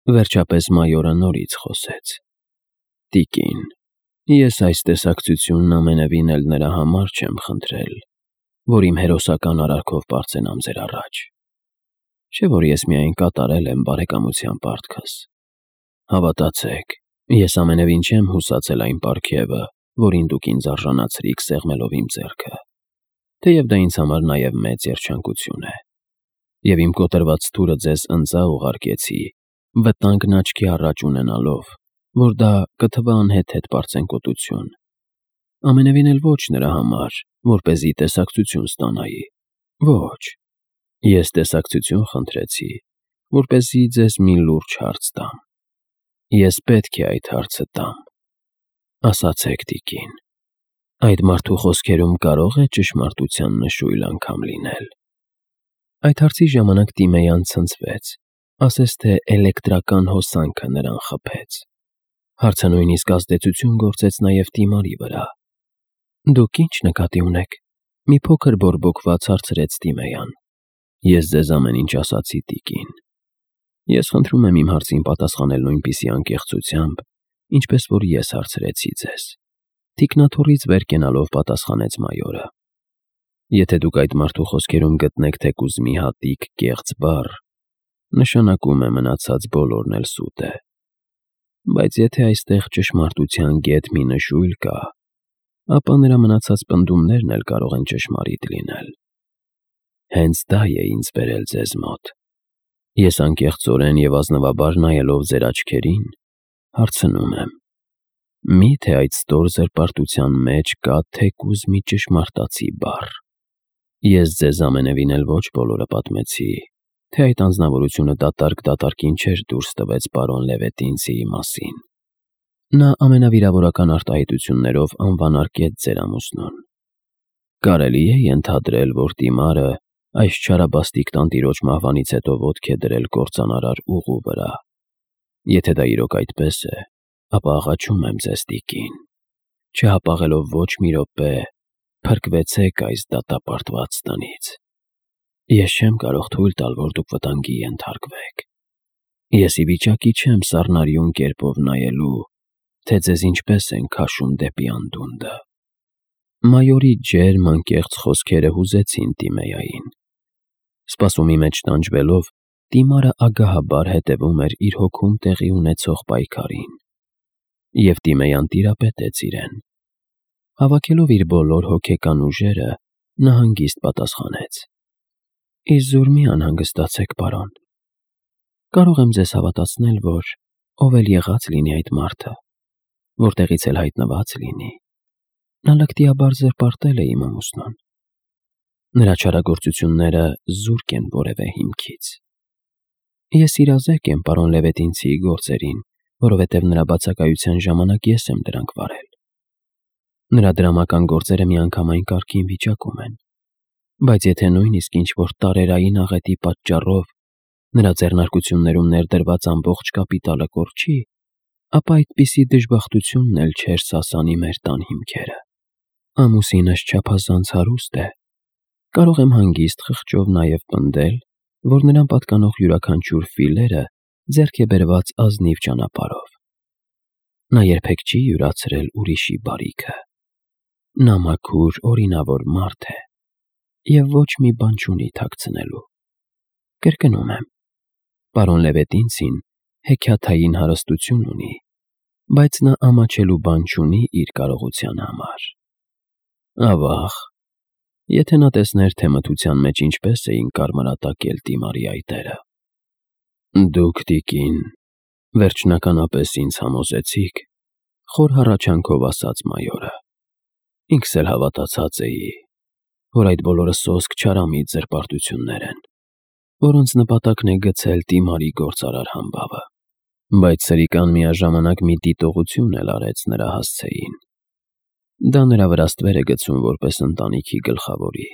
Վերջապես մայորը նորից խոսեց. «Տիկին, ես այս տեսակցությունն ամենևին էլ նրա համար չեմ խնդրել, որ իմ հերոսական արարքով պարծենամ ձեր առաջ, չէ՞ որ ես միայն կատարել եմ բարեկամության պարտքս։ Հավատացեք, ես ամենևին չեմ հուսացել այն պարգևը, որին դուք ինձ արժանացրիք սեղմելով իմ ձեռքը, թեև դա ինձ համար նաև մեծ երջանկություն է, և իմ կոտրված թուրը ձեզ ընծա ուղարկեցի, վտանգն աչքի առաջ ունենալով, որ դա կթվա անհեթեթ պարծենկոտություն, ամենևին էլ ոչ նրա համար, որպեսզի տեսակցություն ստանայի, ոչ, ես տեսակցություն խնդրեցի, որպեսզի ձեզ մի լուրջ հարց տամ։ Ես պետք է այդ հարցը տամ։ Ասացեք, տիկին, այդ մարդու խոսքերում կարո՞ղ է ճշմարտության նշույլ անգամ լինել»։ Այդ հարցի ժամանակ Տիմեյան ցնցվեց, ասես թե էլեկտրական հոսանքը նրան խփեց։ Հարցը նույնիսկ ազդեցություն գործեց նաև Տիմարի վրա։ «Դուք ի՞նչ նկատի ունեք»։ Մի փոքր բորբոքված հարցրեց Տիմեյան։ «Ես ձեզ ամեն ինչ ասացի, տիկին։ Ես խնդրում եմ իմ հարցին պատասխանել նույնպիսի անկեղծությամբ, ինչպես որ ես հարցրեցի ձեզ», թիկնաթոռից վեր կենալով պատասխանեց մայորը։ «Եթե դուք այդ մարդու խոսքերում գտնեք թեկուզ մի հատիկ կեղծ բառ, նշանակում է մնացած բոլորն էլ սուտ է։ Բայց եթե այստեղ ճշմարտության գեթ մի նշույլ կա, ապա նրա մնացած պնդումներն էլ կարող են ճշմարիտ լինել։ Հենց դա է ինձ բերել ձեզ մոտ։ Ես անկեղծորեն և ազնվաբար նայելով ձեր աչքերին, հարցնում եմ. միթե այդ ստոր զրպարտության մեջ կա թեկուզ մի ճշմարտացի բառ։ Ես ձեզ ամենևին էլ ոչ բոլորը պատմեցի, թե այդ անձնավորությունը դատարկ-դատարկին չէր դուրս տվեց պարոն Լևետինցիի մասին։ Նա ամենավիրավորական արտահայտություններով անվանարկեց ձեր ամուսնուն։ Կարելի է ենթադրել, որ Տիմարը այս չարաբաստիկ տանտիրոջ մահվանից հետո ոտք է դրել կործանարար ուղու վրա։ Եթե դա իրոք այդպես է, ապա աղաչում եմ ձեզ, տիկին, չհապաղելով ոչ մի րոպե, փրկվեցեք այս դատապարտված տնից։ Ես չեմ կարող թույլ տալ, որ դուք վտանգի ենթարկվեք։ Ես ի վիճակի չեմ սառնարյուն կերպով նայելու, թե ձեզ ինչպես են քաշում դեպի անդունդը։ Մայորի ջերմ անկեղծ խոսքերը հուզեցին Տիմեյային։ Սպասումի մեջ տանջվելով, Տիմարը ագահաբար հետևում էր իր հոգում տեղի ունեցող պայքարին։ Եվ Տիմեյան տիրապետեց իրեն։ Հավաքելով իր բոլոր հոգեկան ուժերը, նա հանգիստ պատասխանեց. «Իզուր մի անհանգստացեք, պարոն։ Կարող եմ ձեզ հավատացնել, որ ով էլ եղած լինի այդ մարդը, որտեղից էլ հայտնված լինի, նա լկտիաբար զրպարտել է իմ ամուսնուն։ Նրա չարագործությունները զուրկ են որևէ հիմքից։ Ես իրազեկ եմ պարոն Լևետինցիի գործերին, որովհետև նրա բացակայության ժամանակ ես եմ դրանք վարել։ Նրա դրամական գործերը միանգամայն կարգին վիճակում են, բայց եթե նույնիսկ ինչ-որ տարերային աղետի պատճառով նրա ձեռնարկություններում ներդրված ամբողջ կապիտալը կորչի, ապա այդպիսի դժբախտությունն էլ չէր սասանի մեր տան հիմքերը։ Ամուսինս չափազանց հարուստ է։ Կարող եմ հանգիստ խղճով նաև պնդել, որ նրան պատկանող յուրաքանչյուր ֆիլերը ձեռք է բերված ազնիվ ճանապարհով։ Նա երբեք չի յուրացրել ուրիշի բարիքը։ Նա մաքուր, օրինավոր մարդ է և ոչ մի բան չունի թաքցնելու։ Կրկնում եմ, պարոն Լևետինցին հեքիաթային հարստություն ունի, բայց նա ամաչելու բան չունի իր կարողության համար։ Ավաղ, եթե նա տեսներ, թե մթության մեջ ինչպես էին կարմրատակել Տիմարի այտերը։ Դուք, տիկին, վերջնականապես ինձ համոզեցիք, խոր հառաչանքով ասաց մայորը։ Ինքս էլ հավատացած էի, որ այդ բոլորը սոսկ չարամիտ զրպարտություններ են, որոնց նպատակն է գցել Տիմարի գործարար համբավը։ Բայց սրիկան միաժամանակ մի դիտողություն էլ արեց նրա հասցեին։ Դա նրա վրա ստվեր է գցում որպես ընտանիքի գլխավորի։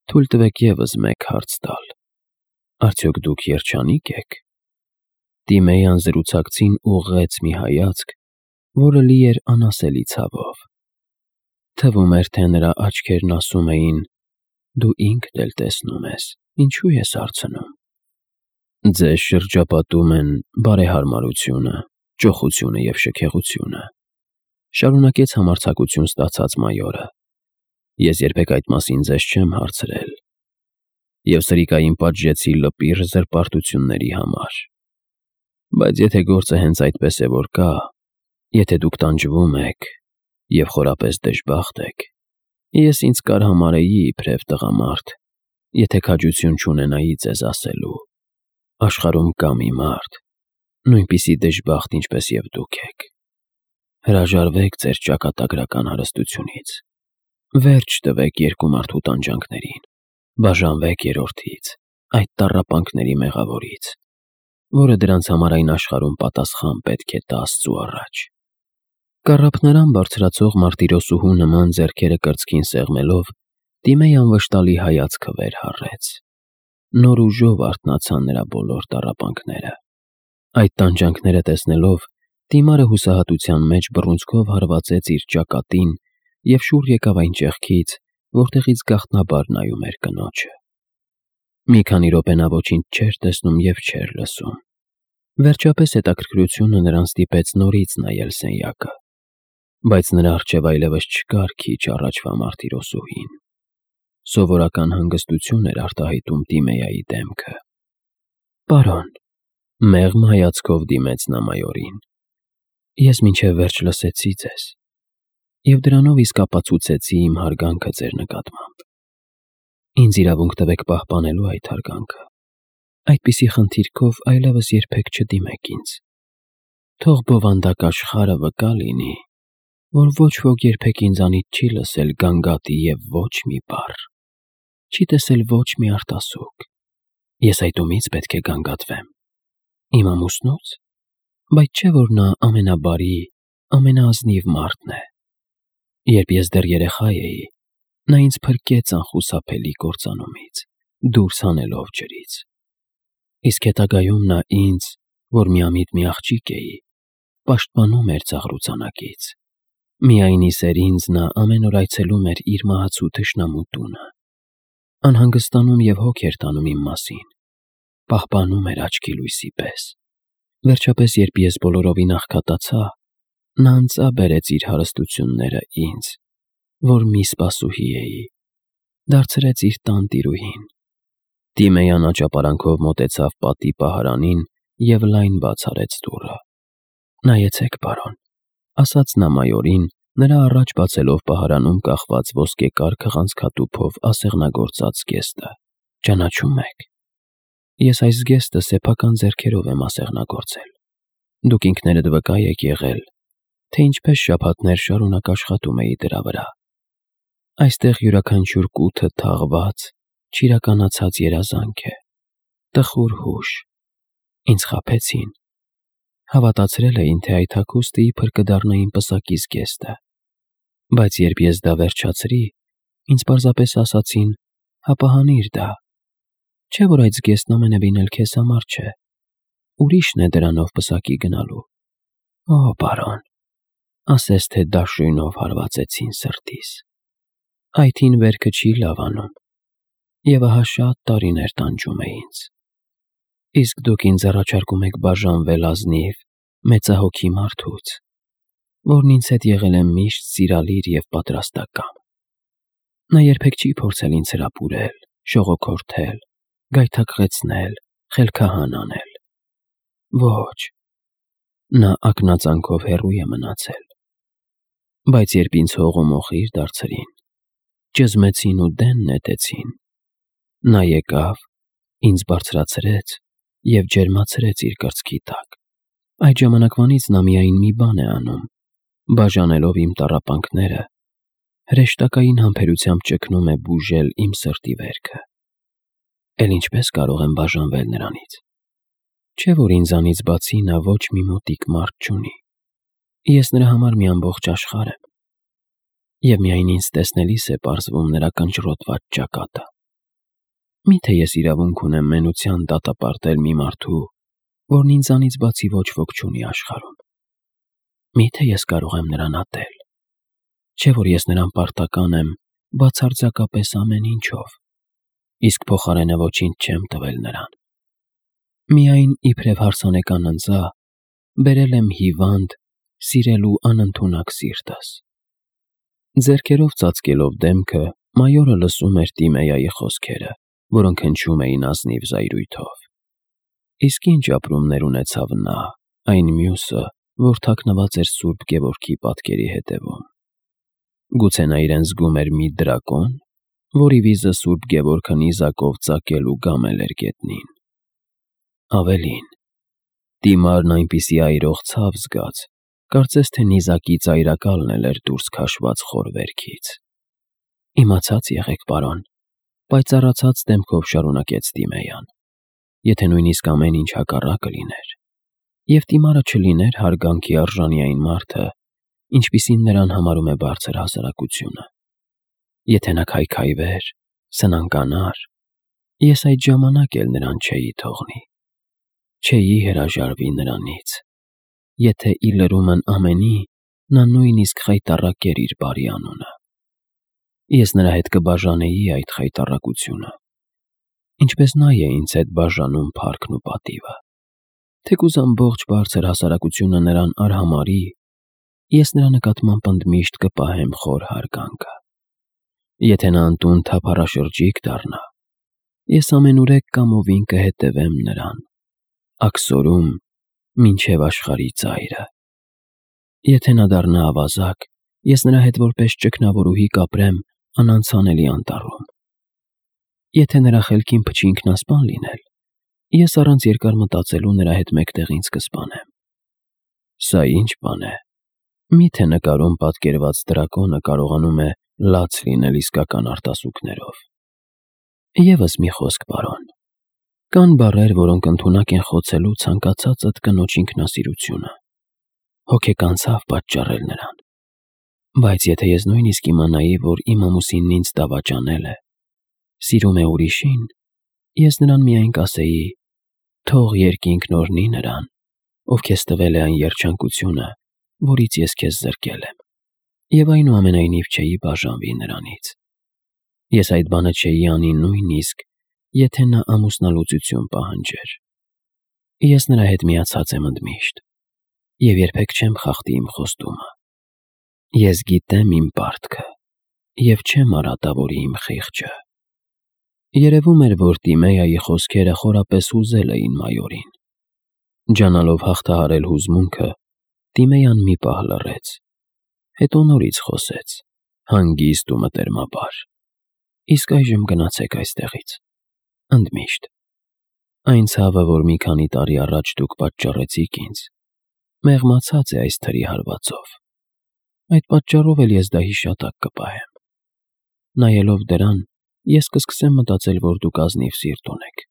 Թույլ տվեք ևս մեկ հարց տալ. արդյոք դուք երջանիկ եք։ Տիմեյան զրուցակցին ուղղեց մի հայացք, որը լի էր անասելի ցավով։ Թվում էր, թե նրա աչքերն ասում էին. դու ինքդ էլ տեսնում ես, ինչու ես հարցնում։ Ձեզ շրջապատում են բարեհարմարությունը, ճոխությունը և շքեղությունը, շարունակեց համարձակություն ստացած մայորը։ Ես երբեք այդ մասին ձեզ չեմ հարցրել, և սրիկային պատժեցի լպիր զրպարտությունների համար։ Բայց եթե գործը հենց այդպես է որ կա, եթե դուք տանջվում եք և խորապես դժբախտ եք, ես ինձ կարհամարեի իբրև տղամարդ, եթե քաջություն չունենայի ձեզ ասելու. աշխարհում կա մի մարդ, նույնպիսի դժբախտ, ինչպես և դուք եք։ Հրաժարվեք ձեր ճակատագրական հարստությունից, վերջ տվեք երկու մարդու տանջանքներին, բաժանվեք երրորդից, այդ տառապանքների մեղավորից, որը դրանց համար այն աշխարհում պատասխան պետք է տա Աստծու առաջ։ Կառափնարան բարձրացող մարտիրոսուհու նման ձեռքերը կրծքին սեղմելով, Տիմեյան վշտալի հայացքը վեր հառեց։ Նոր ուժով արթնացան նրա բոլոր տառապանքները։ Այդ տանջանքները տեսնելով, Տիմարը հուսահատության մեջ բռունցքով հարվածեց իր ճակատին և շուռ եկավ այն ճեղքից, որտեղից գաղտնաբար նայում էր կնոջը։ Մի քանի րոպե նա ոչինչ չէր տեսնում և չէր լսում։ Վերջապես հետաքրքրությունը նրան ստիպեց նորից նայել սենյակը, բայց նրա առջև այլևս չկար քիչ առաջվա մարտիրոսուհին։ Սովորական հանգստություն էր արտահայտում Տիմեյայի դեմքը։ «Պարոն», մեղմ հայացքով դիմեց նա մայորին, «ես մինչև վերջ լսեցի ձեզ և դրանով իսկ ապացուցեցի իմ հարգանքը ձեր նկատմամբ։ Ինձ իրավունք տվեք պահպանելու այդ հարգանքը։ Այդպիսի խնդիրքով այլևս երբեք չդիմեք ինձ։ Թող բովանդակ աշխարհը վկա լինի, որ ոչ ոք երբեք ինձանից չի լսել գանգատի և ոչ մի բառ, չի տեսել ոչ մի արտասուք։ Ես այդ ումից պետք է գանգատվեմ։ Իմ ամուսնո՞ց, բայց չէ՞ որ նա ամենաբարի, ամենաազնիվ մարդն է։ Երբ ես դեռ երեխա էի, նա ինձ փրկեց անխուսափելի կործանումից, դուրս հանելով ջրից։ Իսկ հետագայում նա ինձ, որ միամիտ մի աղջիկ էի, պաշտպանում էր ծաղրուծանակից։ Միայն ի սեր ինձ նա ամեն օր այցելում էր իր մահացու թշնամու տունը, անհանգստանում և հոգ էր տանում իմ մասին, պահպանում էր աչքի լույսի պես։ Վերջապես, երբ ես բոլորովին աղքատացա, նա անձամբ բերեց իր հարստությունները ինձ, որ մի սպասուհի էի, դարձրեց իր տանտիրուհին»։ Տիմեյան աճապարանքով մոտեցավ պատի պահարանին և լայն բաց արեց դուռը։ «Նայեցեք, պարոն», ասաց նա մայորին, նրա առաջ բացելով պահարանում կախված ոսկեկար քղանցքատուփով ասեղնագործած զգեստը։ «Ճանաչո՞ւմ եք։ Ես այս զգեստը սեփական ձեռքերով եմ ասեղնագործել։ Դուք ինքներդ վկա եք եղել, թե ինչպես շաբաթներ շարունակ աշխատում էի դրա վրա։ Այստեղ յուրաքանչյուր կութը թաղված, չիրականացած երազանք է, տխուր հուշ։ Ինձ խաբեցին։ Հավատացրել էին, թե այդ հագուստը իբր կդառնա իմ պսակի զգեստը, բայց երբ ես դա վերջացրի, ինձ պարզապես ասացին. «Հապա հանիր դա։ Չէ՞ որ այդ զգեստն ամենևին էլ քեզ համար չէ։ Ուրիշն է դրանով պսակի գնալու»։ Օ, պարոն, ասես թե դաշույնով հարվածեցին սրտիս։ Այդ հին վերքը չի լավանում, և ահա շատ տարիներ տանջում է ինձ։ Իսկ դուք ինձ առաջարկում եք բաժանվել ազնիվ, մեծահոգի մարդուց, որն ինձ հետ եղել է միշտ սիրալիր և պատրաստակամ։ Նա երբեք չի փորձել ինձ հրապուրել, շողոքորթել, գայթակղեցնել, խելքահան անել։ Ոչ, նա ակնածանքով հեռու է մնացել։ Բայց երբ ինձ հողոմոխիր դարձրին, ճզմեցին ու դեն նետեցին, նա եկավ, ինձ բարձրացրեց և ջերմացրեց իր կրծքի տակ։ Այդ ժամանակվանից նա միայն մի բան է անում, բաժանելով իմ տառապանքները, հրեշտակային համբերությամբ ճգնում է բուժել իմ սրտի վերքը։ Էլ ինչպես կարող եմ բաժանվել նրանից։ Չէ՞ որ ինձանից բացի նա ոչ մի մոտիկ մարդ չունի։ Ես նրա համար մի ամբողջ աշխարհ եմ, և միայն ինձ տեսնելիս է պարզվում նրա կնճռոտված ճակատը։ Մի՞թե ես իրավունք ունեմ մենության դատապարտել մի մարդու, որն ինձանից բացի ոչ ոք չունի աշխարհում։ Մի՞թե ես կարող եմ նրան ատել։ Չէ՞ որ ես նրան պարտական եմ բացարձակապես ամեն ինչով, իսկ փոխարենը ոչինչ չեմ տվել նրան։ Միայն իբրև հարսանեկան ընձա բերել եմ հիվանդ, սիրելու անընդունակ սիրտս։ Ձեռքերով ծածկելով դեմքը, մայորը լսում էր Տիմեյայի խոսքերը, որոնք հնչում էին ազնիվ զայրույթով։ Իսկ ինչ ապրումներ ունեցավ նա, այն մյուսը, որ թաքնված էր Սուրբ Գևորգի պատկերի հետևում։ Գուցե նա իրեն զգում էր մի դրակոն, որի վիզը Սուրբ Գևորգը նիզակով ծակել ու գամել էր գետնին։ Ավելին, Տիմարն այնպիսի այրող ցավ զգաց, կարծես թե նիզակի ծայրակալն էր դուրս քաշված խոր վերքից։ Իմացած եղեք, պարոն, պայծառացած դեմքով շարունակեց Տիմեյան, եթե նույնիսկ ամեն ինչ հակառակը լիներ, և Տիմարը չլիներ հարգանքի արժանի այն մարդը, ինչպիսին նրան համարում է բարձր հասարակությունը։ Եթե նա քայքայվեր, սնանկանար, ես այդ ժամանակ էլ նրան չէի թողնի, չէի հրաժարվի նրանից, եթե ի լրումն ամենի նա նույնիսկ խայտառակեր իր բարի անունը։ Ես նրա հետ կբաժանեի այդ խայտառակությունը, ինչպես նա է ինձ հետ բաժանում փառքն ու պատիվը։ Թեկուզ ամբողջ բարձր հասարակությունը նրան արհամարհի, ես նրա նկատմամբ ընդմիշտ կպահեմ խոր հարգանքը։ Եթե նա անտուն թափառաշրջիկ դառնա, ես ամենուրեք կամովին կհետևեմ նրան, աքսորում մինչև աշխարհի ծայրը։ Եթե նա դառնա ավազակ, ես նրա հետ որպես ճգնավորուհի կապրեմ անանցանելի անտառում։ Եթե նրա խելքին փչի ինքնասպան լինել, ես առանց երկար մտածելու նրա հետ մեկտեղ ինձ կսպանեմ։ Սա ինչ բան է։ Միթե նկարում պատկերված դրակոնը կարողանում է լաց լինել իսկական արտասուքներով։ Եվս մի խոսք, պարոն։ Կան բառեր, որոնք ընդունակ են խոցելու ցանկացածդ կնոջ ինքնասիրությունը, հոգեկան ցավ պատճառել նրան։ Բայց եթե ես նույնիսկ իմանայի, որ իմ ամուսինն ինձ դավաճանել է, սիրում է ուրիշին, ես նրան միայն կասեի. թող երկինքն օրհնի նրան, ով քեզ տվել է այն երջանկությունը, որից ես քեզ զրկել եմ, և այնուամենայնիվ չէի բաժանվի նրանից։ Ես այդ բանը չէի անի նույնիսկ, եթե նա ամուսնալուծություն պահանջեր։ Ես նրա հետ միացած եմ ընդմիշտ, և երբեք չեմ խախտի իմ խոստումը։ Ես գիտեմ իմ պարտքը, և չեմ արատավորի իմ խիղճը։ Երևում էր, որ Տիմեյայի խոսքերը խորապես հուզել էին մայորին։ Ջանալով հաղթահարել հուզմունքը, Տիմեյան մի պահ լռեց, հետո նորից խոսեց, հանգիստ ու մտերմաբար. Իսկ այժմ գնացեք այստեղից, ընդմիշտ։ Այն ցավը, որ մի քանի տարի առաջ դուք պատճառեցիք ինձ, մեղմացած է այս թրի հարվածով։ Այդ պատճառով էլ ես դա հիշատակ կպահեմ։ Նայելով դրան, ես կսկսեմ մտածել, որ դուք ազնիվ սիրտ ունեք,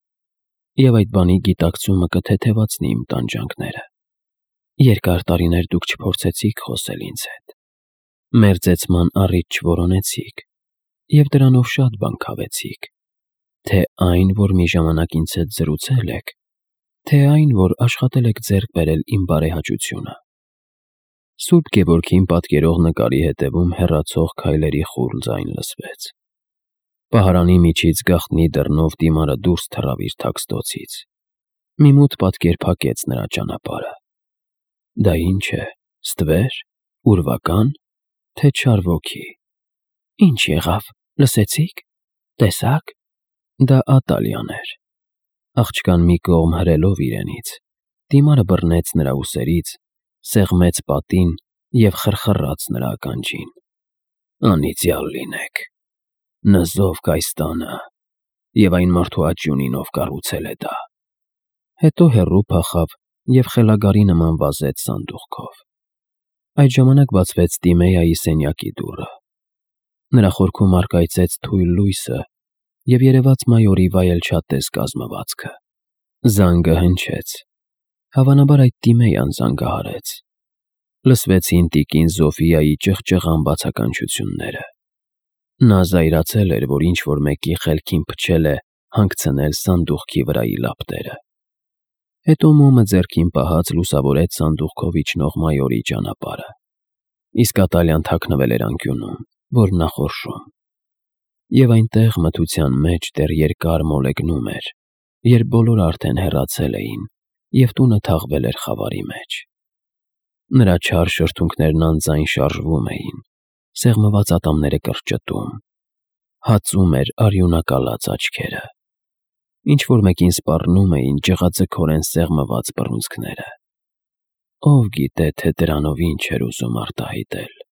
և այդ բանի գիտակցումը կթեթևացնի իմ տանջանքները։ Երկար տարիներ դուք չփորձեցիք խոսել ինձ հետ, մերձեցման առիթ չորոնեցիք, և դրանով շատ բան քավեցիք, թե այն, որ մի ժամանակ ինձ հետ զրուցել եք, թե այն, որ աշխատել եք ձեռք բերել իմ բարեհաճությունը։ Սուրբ Գևորգին պատկերող նկարի հետևում հեռացող քայլերի խուլ ձայն լսվեց։ Պահարանի միջից գաղտնի դռնով Տիմարը դուրս թռավ իր թաքստոցից։ Մի մութ պատկեր փակեց նրա ճանապարհը։ Դա ինչ է, ստվեր, ուրվական, թե չար ոգի։ Ինչ եղավ, լսեցի՞ք, տեսա՞ք։ Դա Ատալիան էր։ Աղջկան մի կողմ հրելով իրենից, Տիմարը բռնեց նրա ուսերից, սեղմեց պատին և խրխռաց նրա ականջին. Անիծյալ լինեք, նզովք այս տանը, և այն մարդու աճյունին, ով կառուցել է դա։ Հետո հեռու փախավ և խելագարի նման վազեց սանդուղքով։ Այդ ժամանակ բացվեց Տիմեյայի սենյակի դուռը։ Նրա խորքում առկայծեց թույլ լույսը և երևաց մայորի վայելչատես կազմվածքը։ Զանգը հնչեց։ Հավանաբար այդ Տիմեյան զանգահարեց։ Լսվեցին տիկին Զոֆիայի ճղճղան բացականչությունները։ Նա զայրացել էր, որ ինչ-որ մեկի խելքին փչել է հանգցնել սանդուղքի վրայի լապտերը։ Հետո մոմը ձեռքին պահած լուսավորեց սանդուղքով իջնող մայորի ճանապարհը։ Իսկ Ատալիան թաքնվել էր անկյունում, որ նախորշում։ Եվ այնտեղ մթության մեջ դեռ երկար մոլեգնում էր, երբ բոլորը արդեն հեռացել էին, և տունը թաղվել էր խավարի մեջ։ Նրա չար շրթունքներն անձայն շարժվում էին, սեղմված ատամները կրճտում, հացում էր արյունակալած աչքերը։ Ինչ-որ մեկին սպառնում էին ջղաձգորեն սեղմված բռունցքները։ Ով գիտե, թե դրանով ինչ էր ուզում արտահայտել։